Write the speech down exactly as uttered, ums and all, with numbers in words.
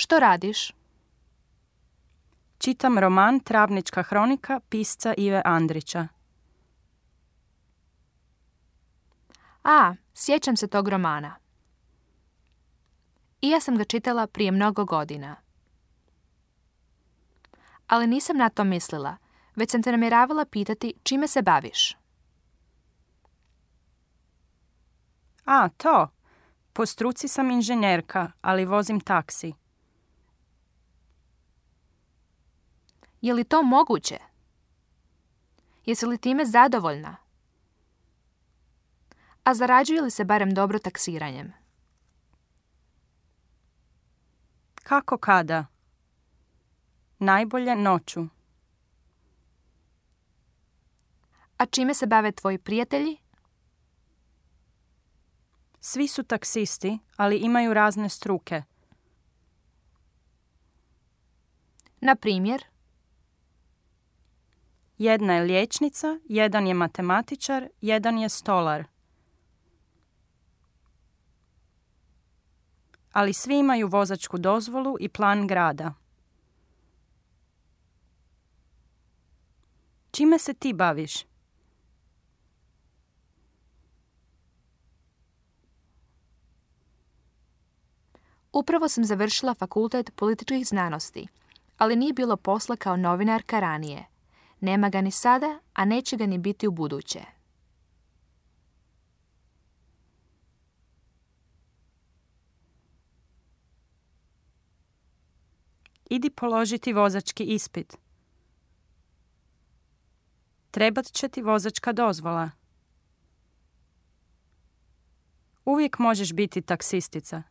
Što radiš? Čitam roman Travnička hronika pisca Ive Andrića. A, sjećam se tog romana. I ja sam ga čitala prije mnogo godina. Ali nisam na to mislila, već sam te namjeravala pitati čime se baviš. A, to. Po struci sam inženjerka, ali vozim taksi. Je li to moguće? Jesi li time zadovoljna? A zarađuje li se barem dobro taksiranjem? Kako kada? Najbolje noću. A čime se bave tvoji prijatelji? Svi su taksisti, ali imaju razne struke. Na primjer? Jedna je liječnica, jedan je matematičar, jedan je stolar. Ali svi imaju vozačku dozvolu i plan grada. Čime se ti baviš? Upravo sam završila fakultet političkih znanosti, ali nije bilo posla kao novinarka ranije. Nema ga ni sada, a neće ga ni biti u buduće. Idi položiti vozački ispit. Trebat će ti vozačka dozvola. Uvijek možeš biti taksistica.